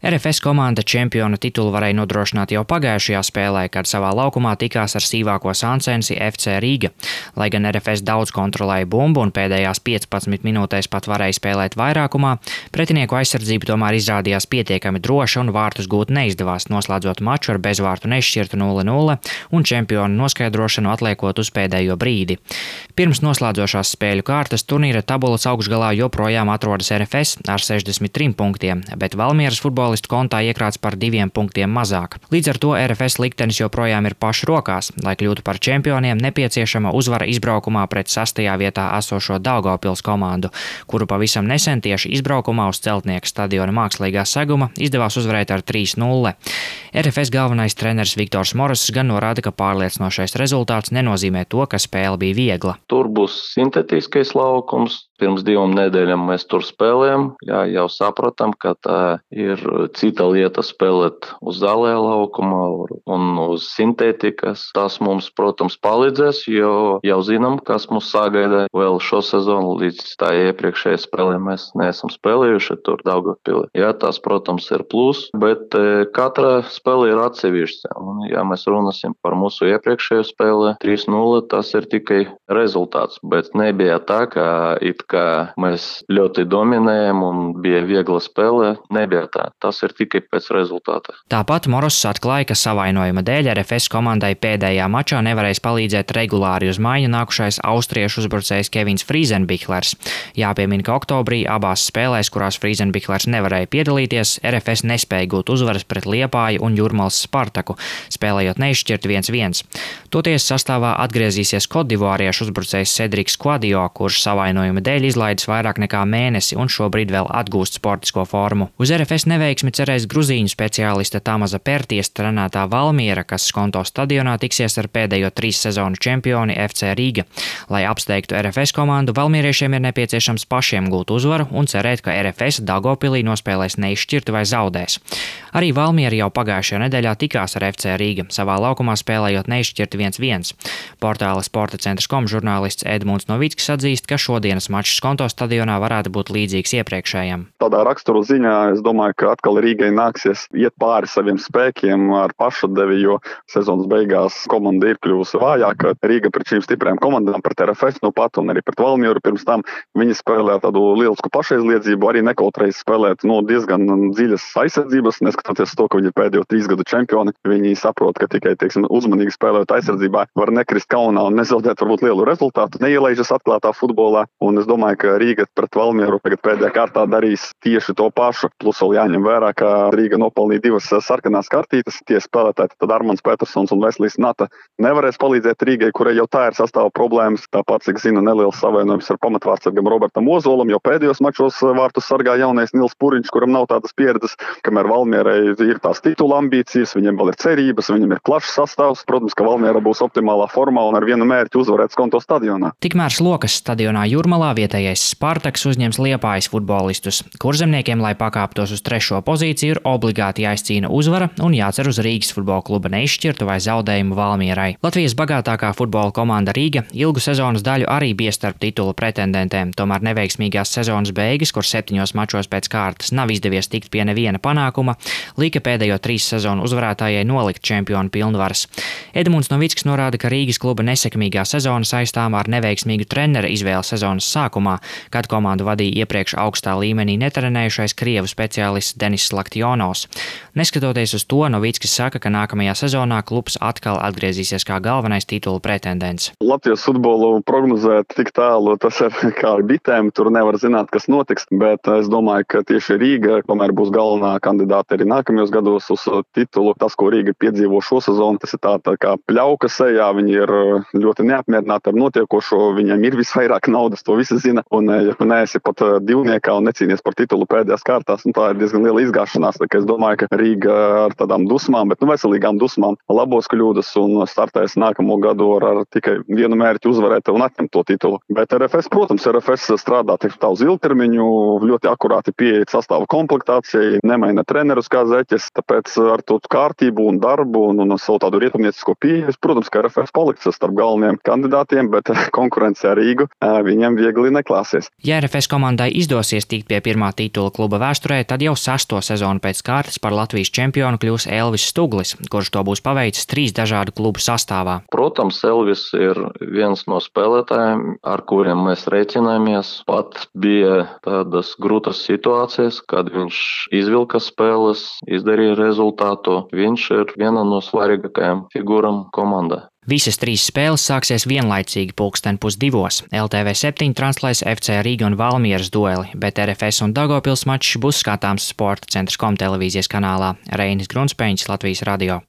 RFS komanda čempiona titulu varēja nodrošināt jau pagājušajā spēlē, kad savā laukumā tikās ar sīvāko Sansensi FC Rīga. Lai gan RFS daudz kontrolēja bumbu un pēdējās 15 minūtēs pat varēja spēlēt vairākumā, pretinieku aizsardzība tomēr izrādījās pietiekami droša un vārtus gūt neizdevās, noslēdzot maču ar bezvārtu nešķirtu 0-0 un čempionu noskaidrošanu atliekot uz pēdējo brīdi. Pirms noslēdzošās spēļu kārtas turnīra tabulas augšgalā joprojām atrodas RFS ar 63 punktiem, bet Valmieras futbolistu kontā iekrāts par 2 punktiem mazāk. Līdz ar to RFS liktenis joprojām ir pašu rokās. Lai kļūtu par čempioniem, nepieciešama uzvara izbraukumā pret 6. vietā esošo Daugavpils komandu, kuru pavisam nesen tieši izbraukumā uz Celtnieka stadiona mākslīgā seguma izdevās uzvarēt ar 3-0. RFS galvenais treneris Viktors Moross gan norāda, ka pārliecinošais rezultāts nenozīmē to, ka spēle bija viegla. Tur būs sintētiskais laukums. Pirms 2 nedēļām mēs tur spēlējam. Jau sapratam, ka tā ir cita lieta spēlēt uz zālē laukumā un uz sintētikas. Tas mums, protams, palīdzēs, jo jau zinām, kas mūs sagaida vēl šo sezonu. Līdz tā iepriekšējā spēlē mēs neesam spēlējuši tur Daugavpilī. Tas, protams, ir plus, bet katra spēle ir atsevišķa. Un, ja mēs runāsim par mūsu iepriekšējo spēli, 3-0, tas ir tikai rezultāts, bet nebija tā, ka mēs ļoti dominējam un bija viegla spēle. Nebija tā. Tas ir tikai pēc rezultāta. Tāpat Moross atklāja, ka savainojuma dēļ RFS komandai pēdējā mačā nevarēs palīdzēt regulāri uz maiņu nākušais austriešu uzbrucējs Kevins Friezenbichlers. Jāpiemina, ka oktobrī abās spēlēs, kurās Friezenbichlers nevarēja piedalīties, RFS nespēja gūt uzvaras pret Liepāju un Jūrmalas Spartaku, spēlējot neizšķirt 1-1. Toties sastāvā atgriezīsies kodivāriešu uzbrucējs Cedriks Quadio, kurš savainojuma dēļ izlaidis vairāk nekā mēnesi un šobrīd vēl atgūst sportisko formu. Uz RFS neveiksmi cerēs gruzīņu speciālista Tamaza Perties trenētā Valmiera, kas Skonto stadionā tiksies ar pēdējo 3 sezonu čempioni FC Rīga. Lai apsteigtu RFS komandu, valmieriešiem ir nepieciešams pašiem gūt uzvaru un cerēt, ka RFS Daugavpilī nospēlēs neizšķirti vai zaudēs. Arī Valmiera jau pagājušajā nedēļā tikās ar FC Rīga, savā laukumā spēlējot neizšķirti 1-1. Portāla Sporta centrs.com žurnālists Edmunds Novickis atzīst, ka šodienas mačs Skonto stadionā varētu būt līdzīgs iepriekšējam. Tādā raksturu ziņā es domāju, ka atkal Rīgai nāksies iet pāri saviem spēkiem ar pašatdevi, jo sezonas beigās komanda ir kļuvusi vājāka. Rīga pret šīm stiprām komandām, pret RFS pat un arī pret Valmieru pirms tam viņi spēlē tādu lielisku pašaizliedzību, arī nekautreiz spēlēt diezgan dziļas aizsardzības, neskatoties to, ka viņi ir pēdējo 3 gadu čempioni. Viņi saprot, ka tikai, uzmanīgi spēlējot aizsardzībā var nekrist kaunā un nezaudēt varbūt lielu rezultātu, neielaižas atklātā futbolā. Un es domāju, ka Rīga pret Valmieru tagad pēdējā kārtā darīs tieši to pašu. Plus vēl jāņem vērā, ka Rīga nopelnīja 2 sarkanās kartītes. Tie spēlētāji, tad Armands Petersons un Veslijs Nata nevarēs palīdzēt Rīgai, kurai jau tā ir sastāva problēmas. Tāpat, cik zinu, neliels savainojums ar pamatvārdsargam Robertam Ozolam, jo pēdējos mačos vārtus sargā jaunais Nils Puriņš, kuram nav tādas pieredzes, kamēr Valmierai ir tās titula ambīcijas, viņiem vēl ir cerības, viņiem ir plašs sastāvs. Protams, ka Valmiera būs optimālā formā un ar vienu mērķi uzvarēt Skonto stadionā. Tikmēr Slokas stadionā Jūrmalā vietējais Spartaks uzņems Liepājas futbolistus. Kurzemniekiem, lai pakāptos uz 3. pozīciju, ir obligāti jāizcīna uzvara un jācer uz Rīgas futbola kluba neizšķirtu vai zaudējumu Valmierai. Latvijas bagātākā futbola komanda Rīga ilgu sezonas daļu arī bija starp titula pretendentēm, tomēr neveiksmīgās sezonas beigas, kur 7 mačos pēc kārtas nav izdevies tikt pie neviena panākuma, lika pēdējo 3 sezonu uzvarētājai nolikt čempionu pilnvaras. Edmunds Novickis norāda, ka Rīgas kluba nesekmīgā sezona saistāmā ar neveiksmīgu trenera izvēli sezonas sākumā, kad komandu vadīja iepriekš augstā līmenī netrenējušais krievu speciālists Denis Slaktionovs. Neskatoties uz to, Novickis saka, ka nākamajā sezonā klubs atkal atgriezīsies kā galvenais titula pretendents. Latvijas futbolu prognozēt tik tālu, tas ir kā ar bitēm, tur nevar zināt, kas notiks, bet es domāju, ka tieši Rīga, tomēr būs galvenā kandidāte arī nākamajos gados uz titulu. Tas, ko Rīga piedzīvo šo sezonu, tas ir tā kā pļauka sejā, viņi ir ļoti neapmierināti ar notiekošo, viņiem ir visvairāk naudas, to visi zina, un ja tu neesi pat divniekā un necīnies par titulu pēdējās kārtās, tā ir diezgan liela izgāšanās, tā kā es domāju, ka Rīga ar tādām dusmām, bet veselīgām dusmām labos kļūdas un startēs nākamo gadu ar tikai vienu mērķi uzvarēt un atņemt to titulu. Bet RFS, protams, RFS strādā tā uz ilgtermiņu, ļoti akurāti pieeja sastāva komplektācijai, nemaina trenerus kā zeķes, tāpēc ar to kārtību un darbu un savu tādu rietumniecisko pieeju, protams, ka RFS paliks starp galvenajiem kandidātiem, bet konkurence ar Rīgu viņiem viegli neklāsies. Ja RFS komandai izdosies tikt pie pirmā titula kluba vēsturē, tad jau 6. 6. sezonu pēc kārtas par Latvijas čempionu kļūs Elvis Stuglis, kurš to būs paveicis 3 dažādu klubu sastāvā. Protams, Elvis ir viens no spēlētājiem, ar kuriem mēs reiķināmies. Pat bija tādas grūtas situācijas, kad viņš izvilka spēles, izdarīja rezultātu. Viņš ir viena no svarīgākajām figūram komandā. Visas 3 spēles sāksies vienlaicīgi 1:30. LTV 7 translēs FC Riga un Valmieras dueli, bet RFS un Daugavpils mačs būs skatāms Sporta centrs.com televīzijas kanālā. Reinis Grunspēņš, Latvijas radio.